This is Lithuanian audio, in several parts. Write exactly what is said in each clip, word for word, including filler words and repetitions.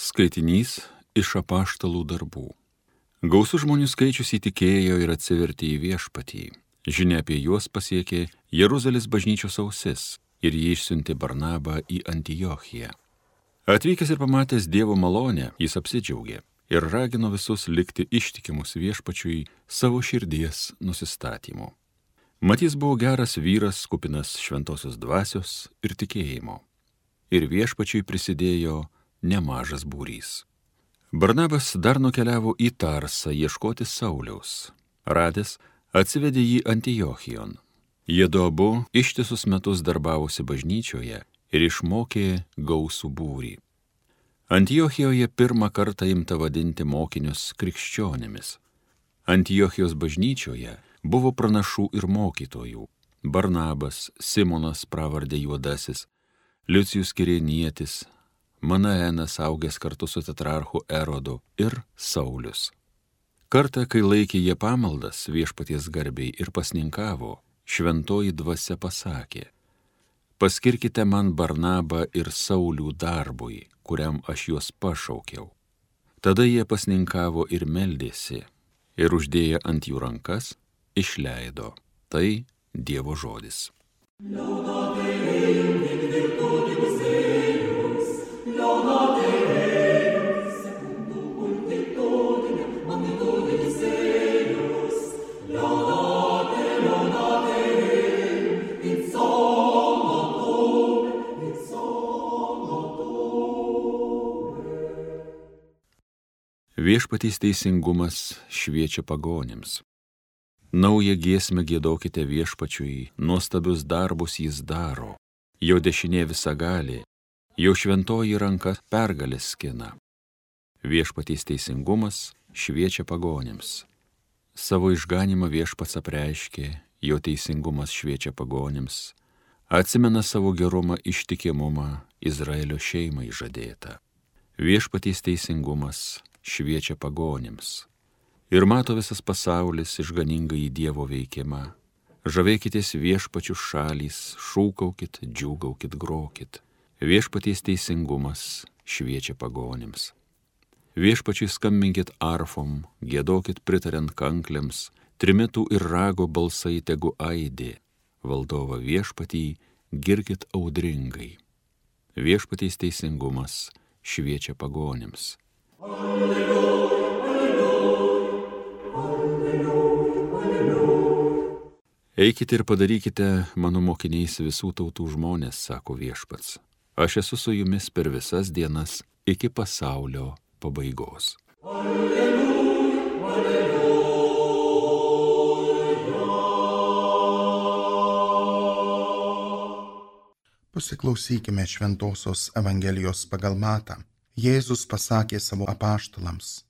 Skaitinys iš apaštalų darbų. Gausus žmonių skaičius įtikėjo ir atsivertė į viešpatį. Žinia apie juos pasiekė Jeruzalės bažnyčios ausis ir jį išsiuntė Barnabą į Antiochiją. Atvykęs ir pamatęs Dievo malonę, jis apsidžiaugė ir ragino visus likti ištikimus viešpačiui savo širdies nusistatymu. Mat jis buvo geras vyras, kupinas šventosios dvasios ir tikėjimo. Ir viešpačiui prisidėjo nemažas būrys. Barnabas dar nukeliavo į Tarsą ieškoti Sauliaus. Radęs, atsivedė jį Antiochijon. Jiedu abu ištisus metus darbavosi bažnyčioje ir išmokė gausų būrį. Antiochijoje pirmą kartą imta vadinti mokinius krikščionimis. Antiochijos bažnyčioje buvo pranašų ir mokytojų. Barnabas, Simonas pravardė Juodasis, Liucijus Kirėnietis, Manaenas augęs kartu su tetrarchu Erodu ir Saulius. Kartą, kai laikė jie pamaldas viešpaties garbiai ir pasninkavo, šventoji dvasia pasakė: paskirkite man Barnabą ir Saulių darbui, kuriam aš juos pašaukiau. Tada jie pasninkavo ir meldėsi, ir uždėję ant jų rankas, išleido. Tai Dievo žodis. Viešpaties teisingumas šviečia pagonims. Naują giesmę giedokite viešpačiui, nuostabius darbus jis daro. Jo dešinė visagalė, jo šventoji ranka pergalės skina. Viešpaties teisingumas šviečia pagonims. Savo išganimą viešpats apreiškė, jo teisingumas šviečia pagonims. Atsimena savo gerumą ištikimumą Izraelio šeimai žadėtą. Viešpaties teisingumas šviečia pagonims. Ir mato visas pasaulis išganingą į Dievo veikimą. Žavėkitės viešpačių šalys, šūkaukit, džiūgaukit, grokit. Viešpaties teisingumas šviečia pagonims. Viešpačiui skambinkit arfom, giedokit pritariant kanklėms, trimitų ir rago balsai tegu aidė. Valdovą viešpatį girkit audringai. Viešpaties teisingumas šviečia pagonims. Alleluja, alleluja, alleluja. Eikite ir padarykite mano mokiniais visų tautų žmonės, sako viešpats. Aš esu su jumis per visas dienas iki pasaulio pabaigos. Alleluja, alleluja. Pasiklausykime Šventosios Evangelijos pagal Matą. Jėzus pasakė savo apaštalams: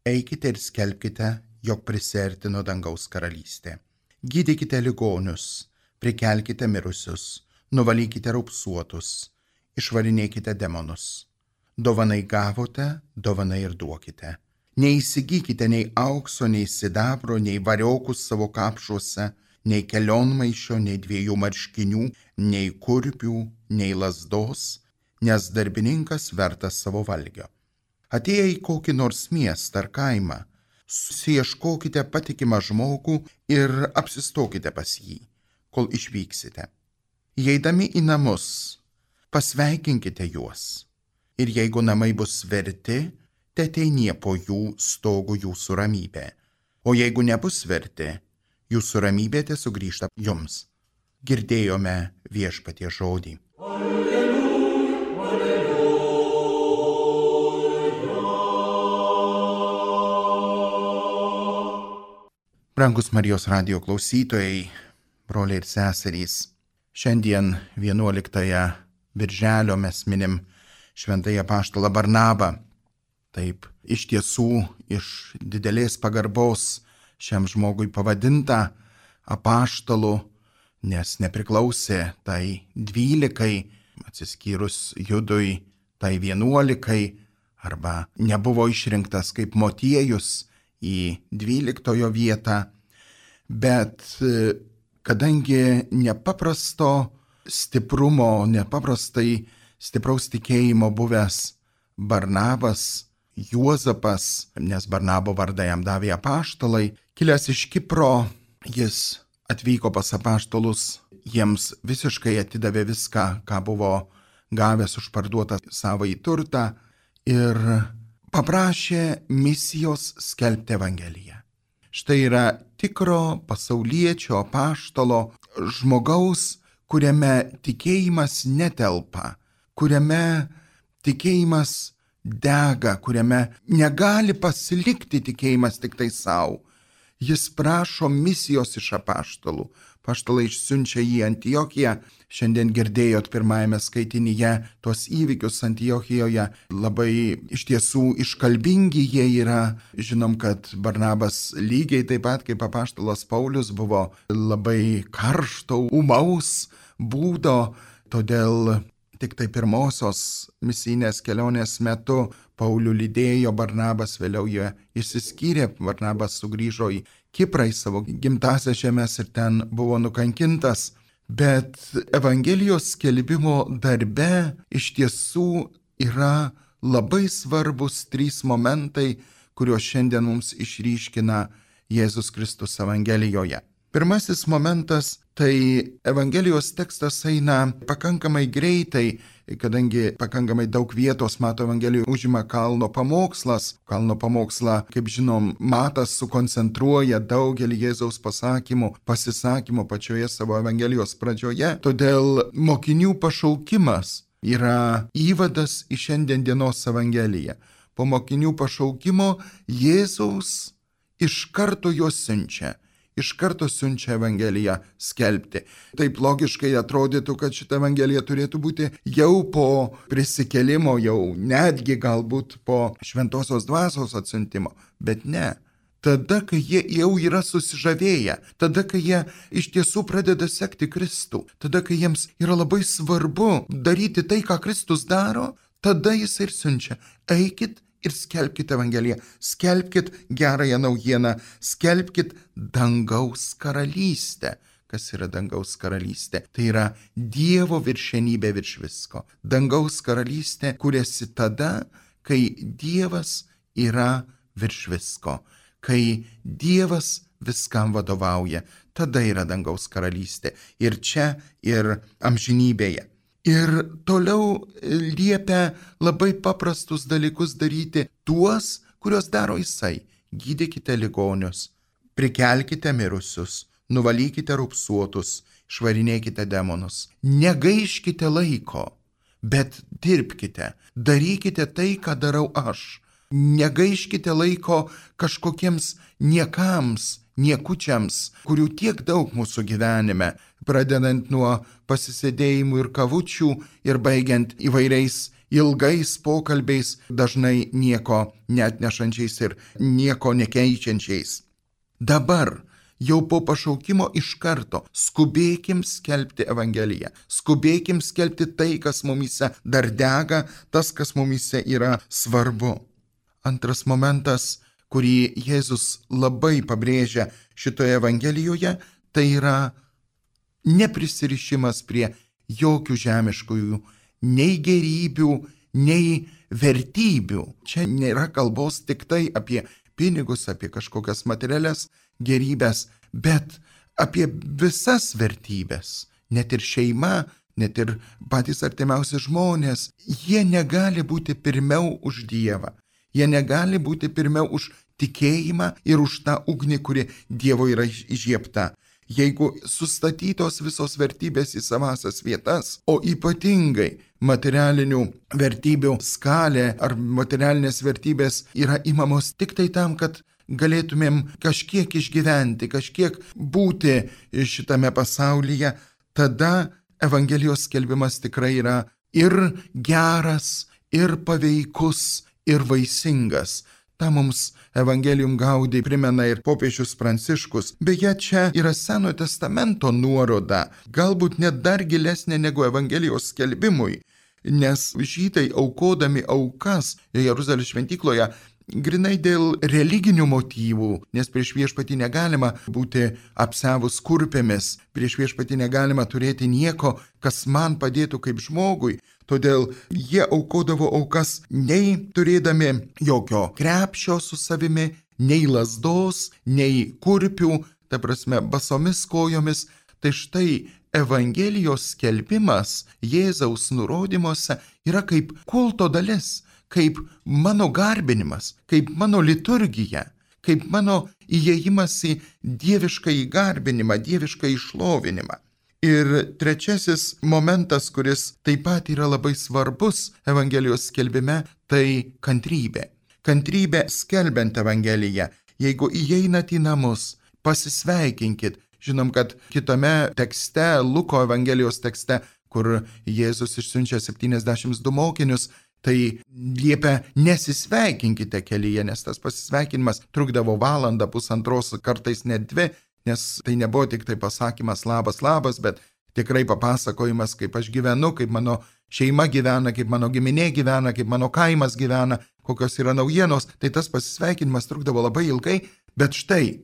eikite ir skelbkite, jog prisiartino dangaus karalystė. Gydykite ligonius, prikelkite mirusius, nuvalykite raupsuotus, išvarinėkite demonus. Dovanai gavote, dovanai ir duokite. Neįsigykite nei aukso, nei sidabro, nei variokus savo kapšuose, nei kelionmaišio, nei dviejų marškinių, nei kurpių, nei lazdos, nes darbininkas vertas savo valgio. Atėję į kokį nors miestą ar kaimą, susiieškokite patikimą žmogų ir apsistokite pas jį, kol išvyksite. Įeidami į namus, pasveikinkite juos. Ir jeigu namai bus verti, teteinie po jų stogų jūsų ramybė. O jeigu nebus verti, jūsų ramybė tesugrįžta jums. Girdėjome viešpaties žodį. Brangus Marijos radijo klausytojai, broliai ir seserys, šiandien vienuoliktąją birželio mes minim šventąjį apaštalą Barnabą. Taip, iš tiesų, iš didelės pagarbos šiam žmogui pavadinta apaštalu, nes nepriklausė tai dvylikai, atsiskyrus Judui, tai vienuolikai, arba nebuvo išrinktas kaip motiejus į dvyliktojo vietą, bet kadangi nepaprasto stiprumo, nepaprastai stipraus tikėjimo buvęs Barnabas, Juozapas, nes Barnabo vardą jam davė apaštalai, kilęs iš Kipro, jis atvyko pas apaštalus, jiems visiškai atidavė viską, ką buvo gavęs už parduotą savąjį turtą ir paprašė misijos skelbti Evangeliją. Štai yra tikro pasauliečio apaštalo žmogaus, kuriame tikėjimas netelpa, kuriame tikėjimas dega, kuriame negali pasilikti tikėjimas tik tai savo. Jis prašo misijos iš apaštalų. Apaštalai išsiunčia jį į Antiochiją. Šiandien girdėjot pirmajame skaitinyje tos įvykius Antiochijoje. Labai iš tiesų iškalbingi jie yra. Žinom, kad Barnabas lygiai taip pat kaip apaštalas Paulius buvo labai karšto, ūmaus būdo, todėl tik tai pirmosios misijinės kelionės metu Paulių lydėjo Barnabas, vėliau jie išsiskyrė, Barnabas sugrįžo į Kiprą, į savo gimtąsias žemes ir ten buvo nukankintas. Bet Evangelijos skelbimo darbe iš tiesų yra labai svarbus trys momentai, kuriuos šiandien mums išryškina Jėzus Kristus Evangelijoje. Pirmasis momentas – tai Evangelijos tekstas eina pakankamai greitai, kadangi pakankamai daug vietos Mato Evangelijoje užima kalno pamokslas. Kalno pamokslą, kaip žinom, Matas sukoncentruoja daugelį Jėzaus pasakymų, pasisakymų pačioje savo Evangelijos pradžioje. Todėl mokinių pašaukimas yra įvadas į šiandien dienos Evangeliją. Po mokinių pašaukimo Jėzaus iš karto juos siunčia. Iš karto siunčia Evangeliją skelbti. Taip logiškai atrodytų, kad šita Evangelija turėtų būti jau po prisikėlimo, jau netgi galbūt po šventosios dvasios atsiuntimo, bet ne. Tada, kai jie jau yra susižavėję, tada, kai jie iš tiesų pradeda sekti Kristų, tada, kai jiems yra labai svarbu daryti tai, ką Kristus daro, tada jis ir siunčia. Eikit ir skelbkit Evangeliją, skelbkit gerąją naujieną, skelbkit dangaus karalystę. Kas yra dangaus karalystė? Tai yra Dievo viršenybė virš visko. Dangaus karalystė kuriasi tada, kai Dievas yra virš visko, kai Dievas viskam vadovauja. Tada yra dangaus karalystė. Ir čia, ir amžinybėje. Ir toliau liepia labai paprastus dalykus daryti tuos, kuriuos daro jisai. Gydykite ligonius, prikelkite mirusius, nuvalykite rupsuotus, švarinėkite demonus. Negaiškite laiko, bet dirbkite, darykite tai, ką darau aš. Negaiškite laiko kažkokiems niekams, niekučiams, kurių tiek daug mūsų gyvenime, pradedant nuo pasisėdėjimų ir kavučių ir baigiant įvairiais ilgais pokalbiais, dažnai nieko neatnešančiais ir nieko nekeičiančiais. Dabar, jau po pašaukimo iš karto, skubėkim skelbti Evangeliją, skubėkim skelbti tai, kas mumyse dar dega, tas, kas mumyse yra svarbu. Antras momentas, kurį Jėzus labai pabrėžia šitoje Evangelijoje, tai yra neprisirišimas prie jokių žemiškųjų, nei gerybių, nei vertybių. Čia nėra kalbos tik tai apie pinigus, apie kažkokias materialias gerybės, bet apie visas vertybės. Net ir šeima, net ir patys artimiausi žmonės, jie negali būti pirmiau už Dievą. Jie negali būti pirmiau už tikėjimą ir už tą ugnį, kuri Dievo yra įžiebta. Jeigu sustatytos visos vertybės į savasias vietas, o ypatingai materialinių vertybių skalė ar materialinės vertybės yra imamos tik tai tam, kad galėtumėm kažkiek išgyventi, kažkiek būti šitame pasaulyje, tada Evangelijos skelbimas tikrai yra ir geras, ir paveikus, ir vaisingas. Ta mums Evangelium Gaudi primena ir popiežius Pranciškus. Beje, čia yra Senojo testamento nuoroda, galbūt net dar gilesnė negu Evangelijos skelbimui, nes žydai aukodami aukas Jeruzalės šventykloje grinai dėl religinių motyvų, nes prieš viešpatį negalima būti apsevus kurpėmis, prieš viešpatį negalima turėti nieko, kas man padėtų kaip žmogui. Todėl jie aukodavo aukas nei turėdami jokio krepšio su savimi, nei lazdos, nei kurpių, ta prasme basomis kojomis. Tai štai Evangelijos skelbimas Jėzaus nurodymuose yra kaip kulto dalis, kaip mano garbinimas, kaip mano liturgija, kaip mano įėjimas į dievišką įgarbinimą, dievišką išlovinimą. Ir trečiasis momentas, kuris taip pat yra labai svarbus Evangelijos skelbime, tai kantrybė. Kantrybė skelbiant Evangeliją. Jeigu įeinat į namus, pasisveikinkit. Žinom, kad kitame tekste, Luko Evangelijos tekste, kur Jėzus išsiunčia septyniasdešimt du mokinius, tai liepia nesisveikinkite kelyje, nes tas pasisveikinimas trukdavo valandą, pusantros, kartais net dvi, nes tai nebuvo tik tai pasakymas labas, labas, bet tikrai papasakojimas, kaip aš gyvenu, kaip mano šeima gyvena, kaip mano giminė gyvena, kaip mano kaimas gyvena, kokios yra naujienos. Tai tas pasisveikinimas trukdavo labai ilgai, bet štai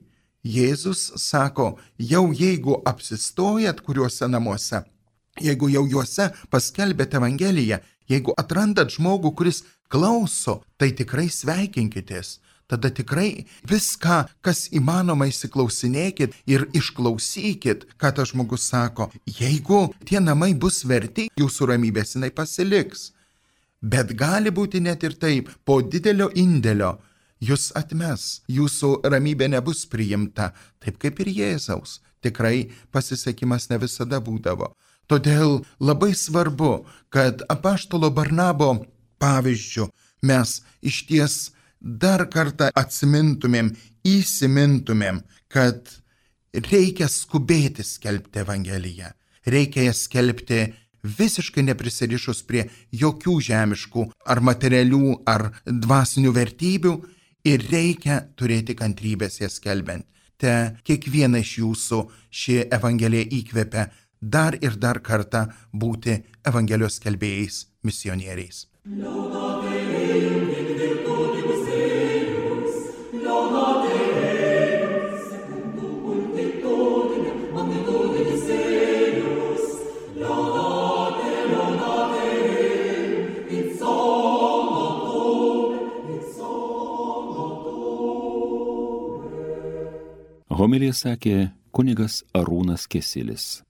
Jėzus sako, jau jeigu apsistojat kuriuose namuose, jeigu jau juose paskelbėt Evangeliją, jeigu atrandat žmogų, kuris klauso, tai tikrai sveikinkitės. Tada tikrai viską, kas įmanoma, įsiklausinėkit ir išklausykit, ką tas žmogus sako. Jeigu tie namai bus verti, jūsų ramybės jinai pasiliks. Bet gali būti net ir taip, po didelio indėlio jūs atmes, jūsų ramybė nebus priimta, taip kaip ir Jėzaus. Tikrai pasisekimas ne visada būdavo. Todėl labai svarbu, kad apaštalo Barnabo pavyzdžiu mes išties dar kartą atsimintumėm, įsimintumėm, kad reikia skubėti skelbti Evangeliją. Reikia ją skelbti visiškai neprisirišus prie jokių žemiškų ar materialių ar dvasinių vertybių. Ir reikia turėti kantrybės jas skelbiant. Te kiekvieną iš jūsų ši Evangelija įkvepia dar ir dar kartą būti Evangelijos skelbėjais, misionieriais. Homiliją sakė kunigas Arūnas Kesilis.